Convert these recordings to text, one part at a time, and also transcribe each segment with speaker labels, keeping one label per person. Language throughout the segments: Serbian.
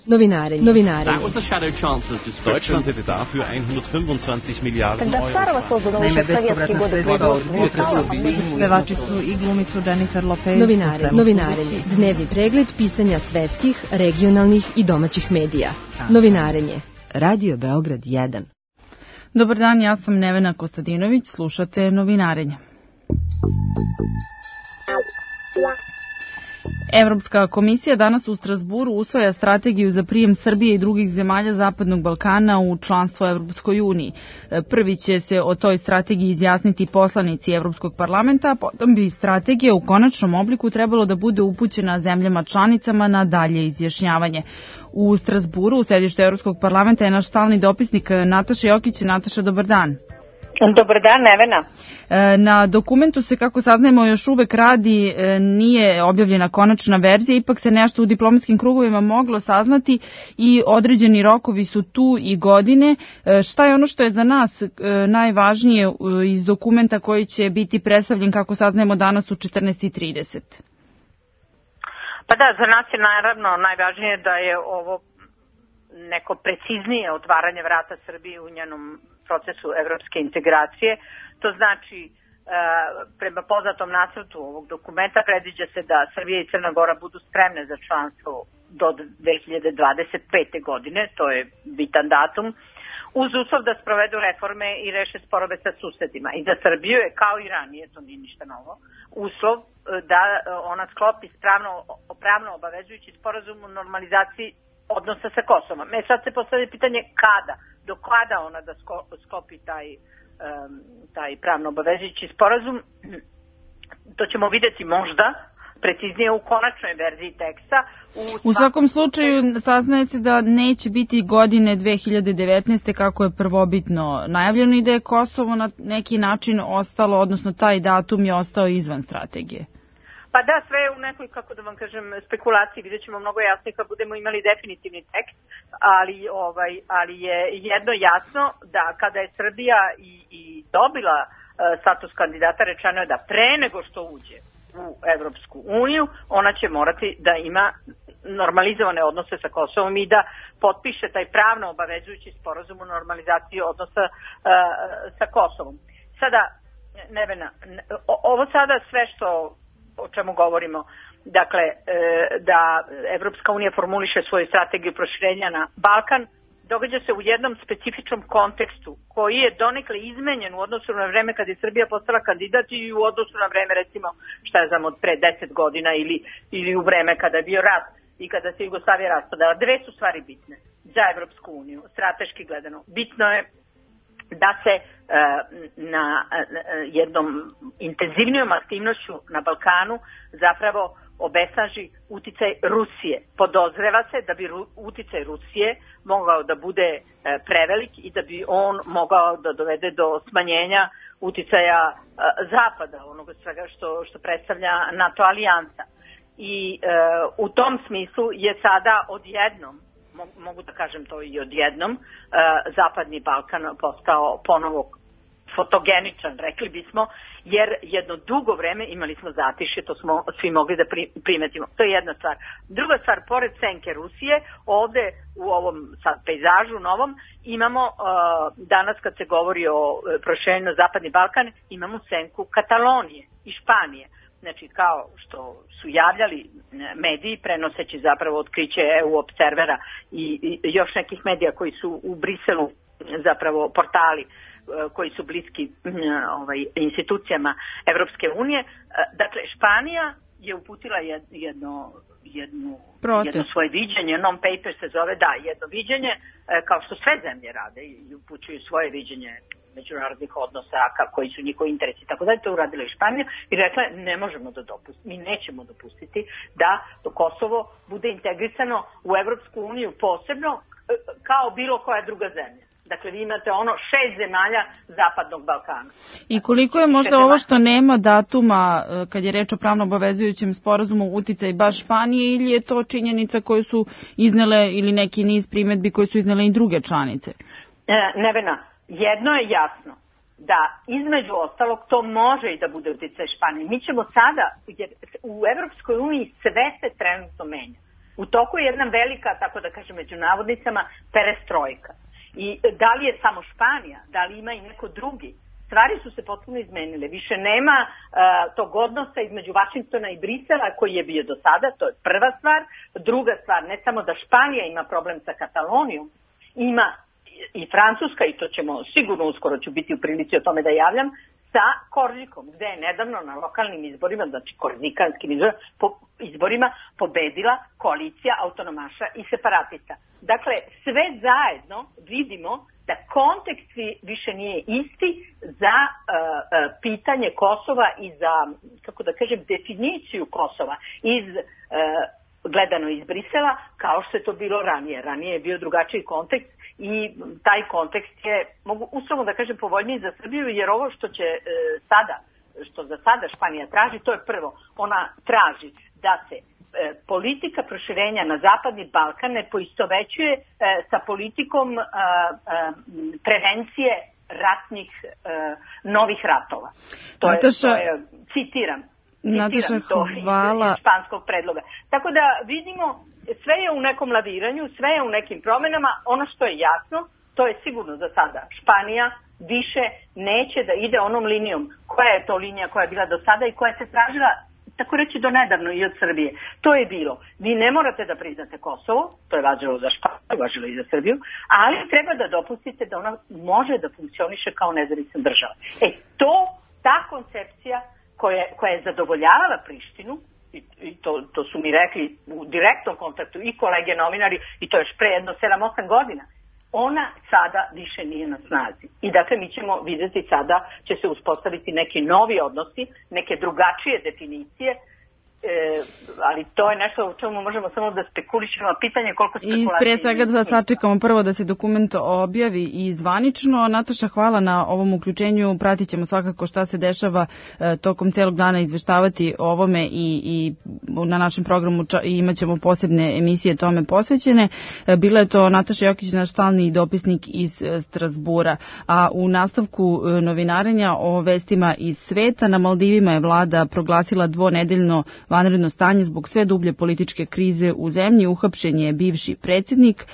Speaker 1: Novinarenje.
Speaker 2: Deutschland hätte dafür 125 Miliarden Euro.
Speaker 3: Naime, bespovratna sredstva od pevači su i glumicu Jennifer Lopez.
Speaker 1: Novinarenje. Dnevni pregled pisanja svetskih, regionalnih i domaćih medija. Novinarenje.
Speaker 4: Radio Beograd 1.
Speaker 3: Dobar dan, ja sam Nevena Kostadinović, slušate Novinarenje. Evropska komisija danas u Strasburu usvaja strategiju za prijem Srbije i drugih zemalja Zapadnog Balkana u članstvo Evropskoj uniji. Prvi će se o toj strategiji izjasniti poslanici Evropskog parlamenta, a potom bi strategija u konačnom obliku trebalo da bude upućena zemljama članicama na dalje izjašnjavanje. U Strasburu, u sedištu Evropskog parlamenta, je naš stalni dopisnik Nataša Jokić. Nataša, dobar dan.
Speaker 5: Dobar dan, Nevena.
Speaker 3: Na dokumentu se, kako saznajemo, još uvek radi, nije objavljena konačna verzija, ipak se nešto u diplomatskim krugovima moglo saznati i određeni rokovi su tu i godine. Šta je ono što je za nas najvažnije iz dokumenta koji će biti predstavljen, kako saznajemo, danas u 14:30?
Speaker 5: Pa da, za nas je naravno najvažnije da je ovo neko preciznije otvaranje vrata Srbije u njenom procesu evropske integracije. To znači, prema poznatom nacrtu ovog dokumenta predviđa se da Srbija i Crna Gora budu spremne za članstvo do 2025. godine, to je bitan datum, uz uslov da sprovedu reforme i reše sporove sa susedima. I za Srbiju je, kao i ranije, to nije ništa novo, uslov da ona sklopi pravno obavezujući sporazum o normalizaciji odnosa sa Kosovom. Sad se postavlja pitanje kada, do kada ona da sklopi taj pravno obavezujući sporazum. To ćemo vidjeti možda preciznije u konačnoj verziji teksta.
Speaker 3: U svakom slučaju saznaje se da neće biti godine 2019. kako je prvobitno najavljeno i da je Kosovo na neki način ostalo, odnosno taj datum je ostao izvan strategije.
Speaker 5: Pa da, sve je u nekoj, kako da vam kažem, spekulaciji, vidjet ćemo mnogo jasnije kad budemo imali definitivni tekst, ali je jedno jasno da kada je Srbija i dobila status kandidata, rečeno je da pre nego što uđe u Evropsku uniju, ona će morati da ima normalizovane odnose sa Kosovom i da potpiše taj pravno obavezujući sporazum o normalizaciji odnosa sa Kosovom. Sada, Nevena, ovo sada sve o čemu govorimo, dakle, da Evropska unija formuliše svoju strategiju proširenja na Balkan, događa se u jednom specifičnom kontekstu koji je donekle izmenjen u odnosu na vreme kad je Srbija postala kandidat i u odnosu na vreme, recimo, šta je znam, od pre 10 godina ili u vreme kada je bio rat i kada se Jugoslavija raspadala. Dve su stvari bitne za Evropsku uniju, strateški gledano. Bitno je da se na jednom intenzivnijom aktivnošću na Balkanu zapravo obesnaži uticaj Rusije. Podozreva se da bi uticaj Rusije mogao da bude prevelik i da bi on mogao da dovede do smanjenja uticaja Zapada, onoga svega što predstavlja NATO alijansa. I u tom smislu je sada odjednom, mogu da kažem to i odjednom, Zapadni Balkan postao ponovo fotogeničan, rekli bismo, jer jedno dugo vreme imali smo zatišje, to smo svi mogli da primetimo. To je jedna stvar. Druga stvar, pored senke Rusije, ovde u ovom sad pejzažu novom imamo, danas kad se govori o proširenju na Zapadni Balkan, imamo senku Katalonije i Španije. Znači, kao što su javljali mediji, prenoseći zapravo otkriće EU Observera i još nekih medija koji su u Briselu, zapravo portali koji su bliski institucijama Evropske unije. Dakle, Španija je uputila jedno svoje viđenje, non-paper se zove, jedno viđenje, kao što sve zemlje rade i upućuju svoje viđenje međunarodnih odnosa, koji su njihovi interesi, tako da je to uradila i Španija i rekla ne možemo da dopustimo, mi nećemo dopustiti da Kosovo bude integrisano u Evropsku uniju posebno kao bilo koja druga zemlja. Dakle, vi imate 6 zemalja Zapadnog Balkana.
Speaker 3: I koliko je možda ovo što nema datuma, kad je reč o pravno obavezujućem sporazumu, uticaj baš Španije, ili je to činjenica koju su iznele, ili neki niz primedbi koje su iznele i druge članice?
Speaker 5: Nevena, jedno je jasno, da između ostalog to može i da bude uticaj Španije. Mi ćemo sada, jer u Evropskoj uniji sve se trenutno menja. U toku je jedna velika, tako da kažem među navodnicama, perestrojka. I da li je samo Španija, da li ima i neko drugi? Stvari su se potpuno izmenile. Više nema tog odnosa između Vašingtona i Brisela koji je bio do sada, to je prva stvar. Druga stvar, ne samo da Španija ima problem sa Katalonijom, ima i Francuska, i to ćemo sigurno uskoro ću biti u prilici o tome da javljam, sa Korzikom, gde je nedavno na lokalnim izborima, znači korzikanskim izborima, pobedila koalicija autonomaša i separatista. Dakle, sve zajedno vidimo da kontekst više nije isti za pitanje Kosova i za, kako da kažem, definiciju Kosova gledano iz Brisela, kao što je to bilo ranije. Ranije je bio drugačiji kontekst i taj kontekst je, mogu uslovno da kažem, povoljniji za Srbiju, jer ovo što za sada Španija traži, to je prvo. Ona traži da se politika proširenja na Zapadni Balkan ne poistovećuje sa politikom prevencije ratnih novih ratova. To je, citiram
Speaker 3: hvala.
Speaker 5: Iz španskog predloga. Tako da vidimo, sve je u nekom laviranju, sve je u nekim promenama. Ono što je jasno, to je sigurno za sada. Španija više neće da ide onom linijom. Koja je to linija koja je bila do sada i koja se tražila, tako reći, do nedavno i od Srbije. To je bilo, vi ne morate da priznate Kosovo, to je važilo za Španiju, važilo i za Srbiju, ali treba da dopustite da ona može da funkcioniše kao nezavisna država. Ta koncepcija koja je zadovoljavala Prištinu, i to su mi rekli u direktnom kontaktu i kolege novinari, i to još pre jedno 7-8 godina, ona sada više nije na snazi. I dakle, mi ćemo vidjeti sada, će se uspostaviti neki novi odnosi, neke drugačije definicije, ali to je nešto u čemu možemo samo da spekulišemo, pitanje koliko spekulacije.
Speaker 3: I pre svega da sačekamo prvo da se dokument objavi i zvanično. Nataša, hvala na ovom uključenju, pratit ćemo svakako šta se dešava tokom celog dana, izveštavati o ovome i na našem programu imat ćemo posebne emisije tome posvećene. Bila je to Nataša Jokić, naš stalni dopisnik iz Strasbura. A u nastavku novinarenja o vestima iz sveta, na Maldivima je vlada proglasila dvonedeljno vanredno stanje zbog sve dublje političke krize u zemlji. Uhapšen je bivši predsjednik,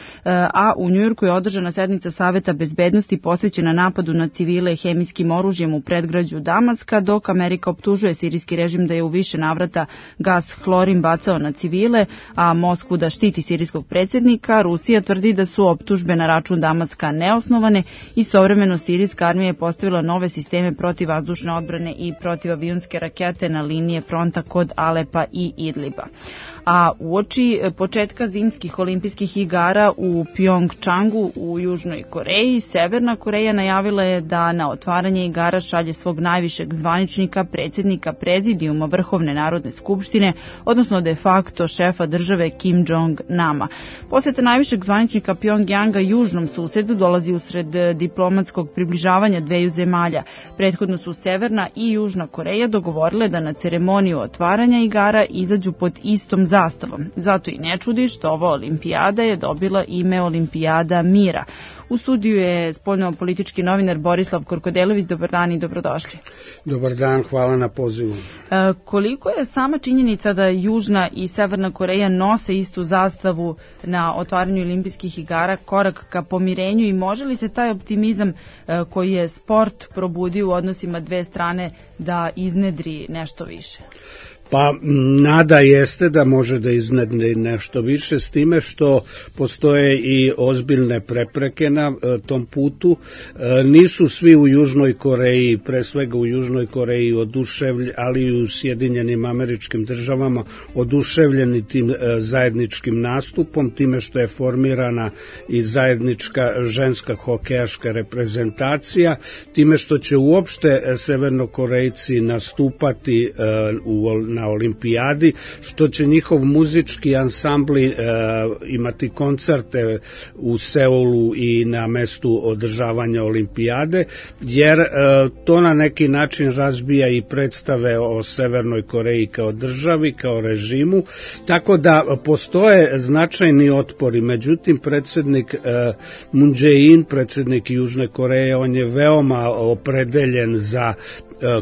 Speaker 3: a u Njujorku je održana sednica Saveta bezbednosti posvećena napadu na civile hemijskim oružjem u predgrađu Damaska, dok Amerika optužuje sirijski režim da je u više navrata gas hlorin bacao na civile, a Moskvu da štiti sirijskog predsjednika. Rusija tvrdi da su optužbe na račun Damaska neosnovane. Istovremeno sirijska armija je postavila nove sisteme protivvazdušne odbrane i protivavionske rakete na linije fronta kod Alepa i Idliba. A uoči početka zimskih olimpijskih igara u Pjongčangu u Južnoj Koreji, Severna Koreja najavila je da na otvaranje igara šalje svog najvišeg zvaničnika, predsjednika prezidijuma Vrhovne narodne skupštine, odnosno de facto šefa države Kim Jong-nama. Posjeta najvišeg zvaničnika Pjongjanga južnom susedu dolazi usred diplomatskog približavanja dveju zemalja. Prethodno su Severna i Južna Koreja dogovorile da na ceremoniju otvaranja igara izađu pod istom zastavom. Zato i ne čudi što ova olimpijada je dobila ime Olimpijada mira. U studiju je spoljno-politički novinar Borislav Korkodelović. Dobar dan i dobrodošli.
Speaker 6: Dobar dan, hvala na pozivu.
Speaker 3: Koliko je sama činjenica da Južna i Severna Koreja nose istu zastavu na otvaranju olimpijskih igara korak ka pomirenju i može li se taj optimizam koji je sport probudio u odnosima dve strane da iznedri nešto više?
Speaker 6: Pa nada jeste da može da iznedri nešto više, s time što postoje i ozbiljne prepreke na tom putu. Nisu svi u Južnoj Koreji, pre svega u Južnoj Koreji oduševljeni, ali i u Sjedinjenim Američkim Državama oduševljeni tim zajedničkim nastupom, time što je formirana i zajednička ženska hokejaška reprezentacija, time što će uopšte Severnokorejci nastupati na olimpijadi, što će njihov muzički ansambli imati koncerte u Seulu i na mestu održavanja olimpijade, jer to na neki način razbija i predstave o Severnoj Koreji kao državi, kao režimu, tako da postoje značajni otpori. Međutim, predsjednik Moon Jae-in, predsjednik Južne Koreje, on je veoma opredeljen za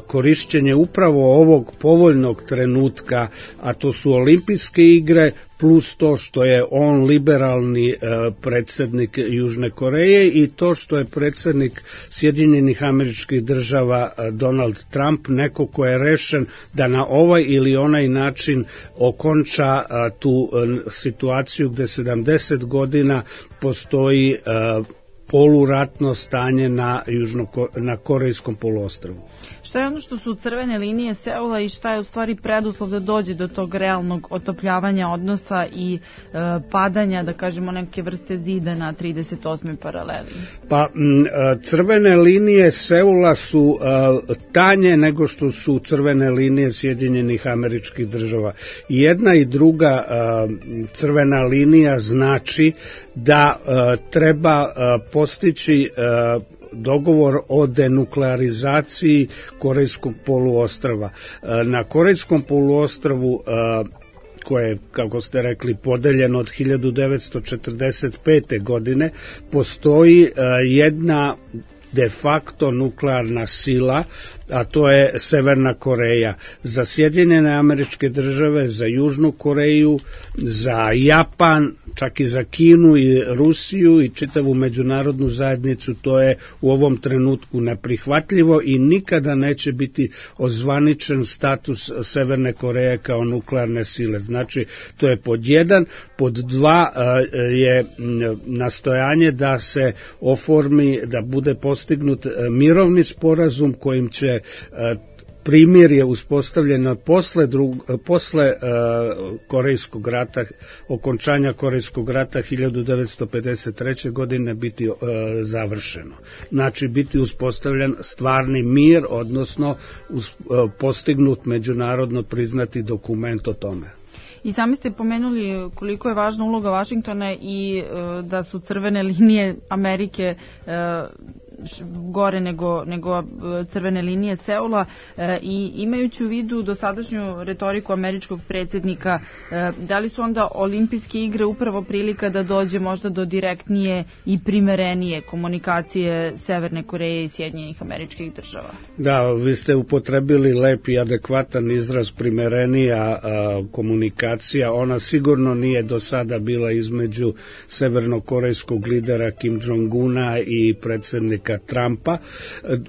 Speaker 6: korišćenje upravo ovog povoljnog trenutka, a to su olimpijske igre, plus to što je on liberalni predsjednik Južne Koreje i to što je predsjednik Sjedinjenih Američkih Država Donald Trump, neko ko je rešen da na ovaj ili onaj način okonča tu situaciju gde 70 godina postoji poluratno stanje na Korejskom poluostrvu.
Speaker 3: Šta je ono što su crvene linije Seula i šta je u stvari preduslov da dođe do tog realnog otopljavanja odnosa i padanja, da kažemo, neke vrste zida na 38. paraleli?
Speaker 6: Pa crvene linije Seula su tanje nego što su crvene linije Sjedinjenih Američkih Država. Jedna i druga crvena linija znači da treba postići dogovor o denuklearizaciji Korejskog poluostrva. Na Korejskom poluostrvu koje je, kako ste rekli, podeljeno od 1945. godine, postoji jedna de facto nuklearna sila, a to je Severna Koreja. Za Sjedinjene Američke Države, za Južnu Koreju, za Japan, čak i za Kinu i Rusiju i čitavu međunarodnu zajednicu, to je u ovom trenutku neprihvatljivo i nikada neće biti ozvaničen status Severne Koreje kao nuklearne sile. Znači, to je pod jedan. Pod dva je nastojanje da se oformi, da bude postignut mirovni sporazum kojim će primirje uspostavljeno posle Korejskog rata, okončanja Korejskog rata 1953. godine biti završeno. Znači biti uspostavljen stvarni mir, odnosno postignut međunarodno priznati dokument o tome.
Speaker 3: I sami ste pomenuli koliko je važna uloga Vašingtona i da su crvene linije Amerike gore nego crvene linije Seula i imajući u vidu dosadašnju retoriku američkog predsjednika, da li su onda olimpijske igre upravo prilika da dođe možda do direktnije i primerenije komunikacije Severne Koreje i Sjedinjenih Američkih Država?
Speaker 6: Da, vi ste upotrebili lep i adekvatan izraz primerenija komunikacija. Ona sigurno nije do sada bila između severnokorejskog lidera Kim Jong-una i predsjednika Trumpa.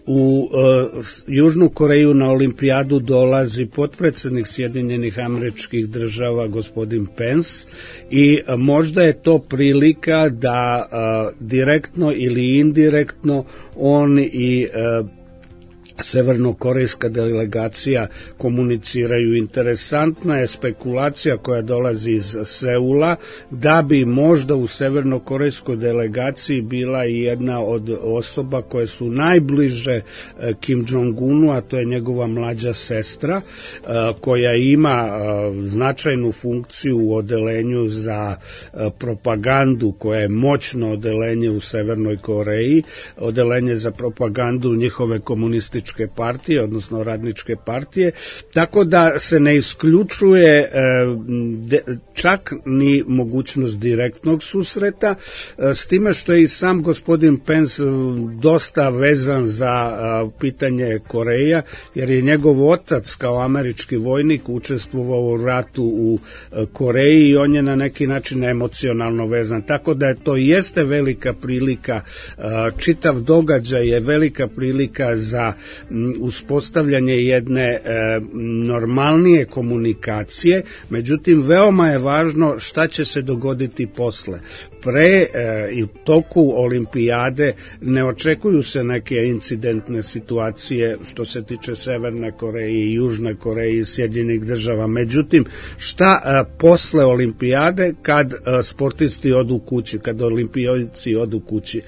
Speaker 6: U Južnu Koreju na olimpijadu dolazi potpredsjednik Sjedinjenih Američkih Država gospodin Pence i možda je to prilika da direktno ili indirektno on i severnokorejska delegacija komuniciraju. Interesantna je spekulacija koja dolazi iz Seula da bi možda u severnokorejskoj delegaciji bila i jedna od osoba koje su najbliže Kim Jong-unu, a to je njegova mlađa sestra koja ima značajnu funkciju u odelenju za propagandu, koje je moćno odelenje u Severnoj Koreji, odelenje za propagandu njihove komunističke partije, odnosno radničke partije, tako da se ne isključuje čak ni mogućnost direktnog susreta, s time što je i sam gospodin Pence dosta vezan za pitanje Koreja, jer je njegov otac kao američki vojnik učestvovao u ratu u Koreji i on je na neki način emocionalno vezan, tako da to jeste velika prilika, čitav događaj je velika prilika za uspostavljanje jedne normalnije komunikacije, međutim veoma je važno šta će se dogoditi posle. Pre i u toku olimpijade ne očekuju se neke incidentne situacije što se tiče Severne Koreje i Južne Koreje i Sjedinjenih Država. Međutim, šta posle olimpijade kad sportisti odu kući, kad olimpijci odu kući?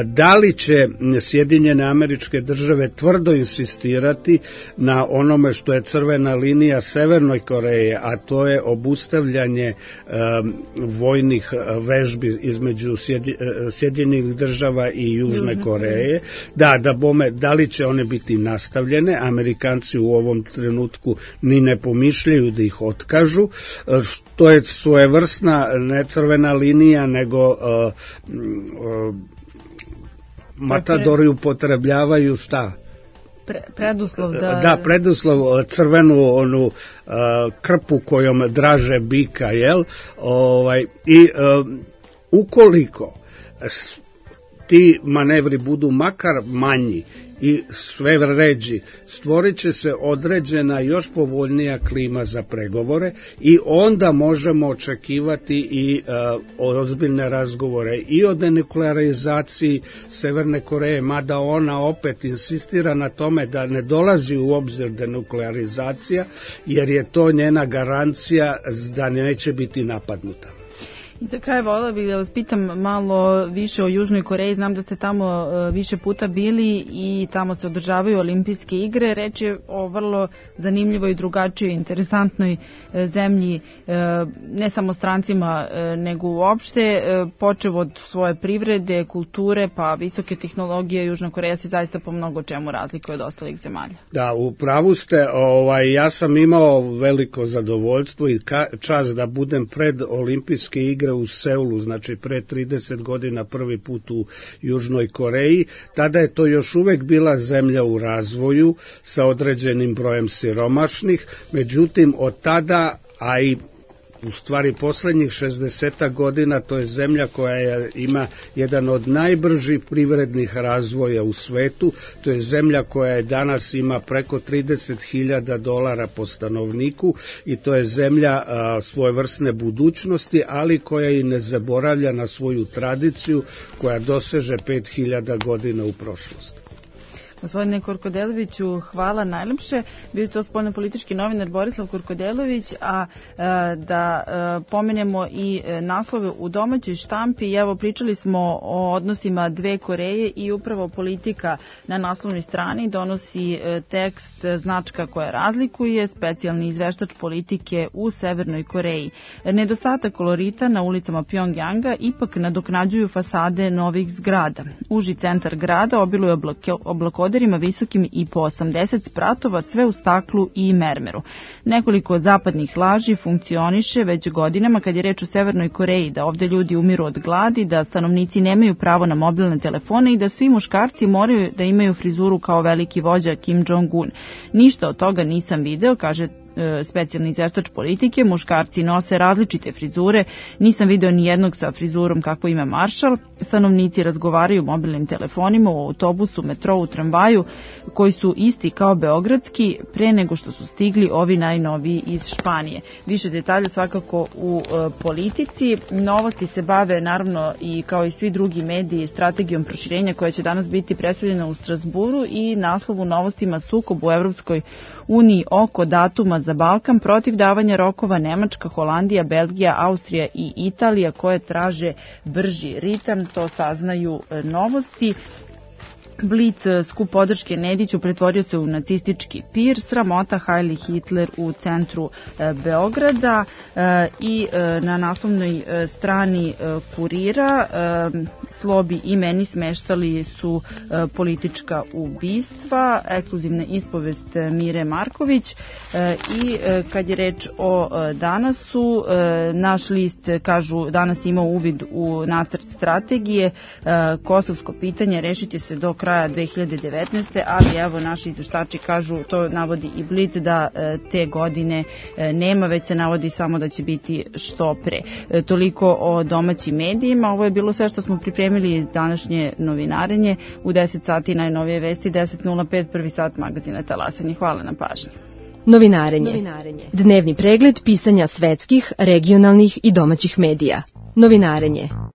Speaker 6: Da li će Sjedinjene Američke Države tvrdo insistirati na onome što je crvena linija Severnoj Koreje, a to je obustavljanje vojnih vežbi između Sjedinjenih Država i Južne Koreje. Da li će one biti nastavljene? Amerikanci u ovom trenutku ni ne pomišljaju da ih otkažu, što je svojevrsna ne crvena linija, nego matadori upotrebljavaju šta?
Speaker 3: Preduslov da...
Speaker 6: Da, preduslov, crvenu onu krpu kojom draže bika, jel? I ukoliko ti manevri budu makar manji i sve ređi, stvorit će se određena još povoljnija klima za pregovore i onda možemo očekivati i ozbiljne razgovore i o denuklearizaciji Severne Koreje, mada ona opet insistira na tome da ne dolazi u obzir denuklearizacija, jer je to njena garancija da neće biti napadnuta.
Speaker 3: I za kraj voljela bih da vas pitam malo više o Južnoj Koreji. Znam da ste tamo više puta bili i tamo se održavaju olimpijske igre. Reč je o vrlo zanimljivoj, drugačijoj, interesantnoj zemlji, ne samo strancima, nego uopšte. Počev od svoje privrede, kulture, pa visoke tehnologije, Južna Koreja se zaista po mnogo čemu razlikuje od ostalih zemalja.
Speaker 6: Da, u pravu ste. Ja sam imao veliko zadovoljstvo i čast da budem pred olimpijske igre u Seulu, znači pre 30 godina prvi put u Južnoj Koreji. Tada je to još uvek bila zemlja u razvoju sa određenim brojem siromašnih, međutim od tada, a i u stvari poslednjih 60 godina, to je zemlja koja ima jedan od najbržih privrednih razvoja u svetu, to je zemlja koja danas ima preko $30.000 po stanovniku i to je zemlja svojevrsne budućnosti, ali koja i ne zaboravlja na svoju tradiciju koja doseže 5000 godina u prošlosti.
Speaker 3: Gospodine Korkodeloviću, hvala najlepše. Bio je to spoljnopolitički novinar Borislav Korkodelović, a da pomenemo i naslove u domaćoj štampi. Evo, pričali smo o odnosima dve Koreje i upravo Politika na naslovnoj strani donosi tekst značka koja razlikuje specijalni izveštač Politike u Severnoj Koreji. Nedostatak kolorita na ulicama Pjongjanga ipak nadoknađuju fasade novih zgrada. Uži centar grada obiluje oblakoderima visokim i po 80 spratova, sve u staklu i mermeru. Nekoliko od zapadnih laži funkcioniše već godinama kad je reč o Severnoj Koreji, da ovde ljudi umiru od gladi, da stanovnici nemaju pravo na mobilne telefone i da svi muškarci moraju da imaju frizuru kao veliki vođa Kim Jong-un. Ništa od toga nisam video, kaže specijalni izveštač Politike. Muškarci nose različite frizure, nisam video ni jednog sa frizurom kako ima Maršal. Stanovnici razgovaraju mobilnim telefonima u autobusu, metrou, tramvaju, koji su isti kao beogradski pre nego što su stigli ovi najnoviji iz Španije. Više detalja svakako u Politici. Novosti se bave naravno i kao i svi drugi mediji strategijom proširenja koja će danas biti predstavljena u Strasburu i naslovu novostima sukob u Evropskoj uniji oko datuma za Balkan protiv davanja rokova Nemačka, Holandija, Belgija, Austrija i Italija koje traže brži ritam, to saznaju Novosti. Blic, skup podrške Nediću, pretvorio se u nacistički pir, sramota Heil Hitler u centru Beograda i na naslovnoj strani Kurira Slobi i meni smeštali su politička ubistva, ekskluzivna ispovest Mire Marković i kad je reč o Danasu, naš list, kažu, danas ima uvid u nacrt strategije, kosovsko pitanje rešit će se do kraja 2019. ali evo naši izveštači kažu, to navodi i Blic, da te godine nema, već se navodi samo da će biti što pre. Toliko o domaćim medijima. Ovo je bilo sve što smo pripremili iz današnje novinarenje. U 10 sati najnovije vesti, 10:05, prvi sat magazina Talasanje. Hvala na pažnji.
Speaker 1: Novinarenje. Dnevni pregled pisanja svetskih, regionalnih i domaćih medija. Novinarenje.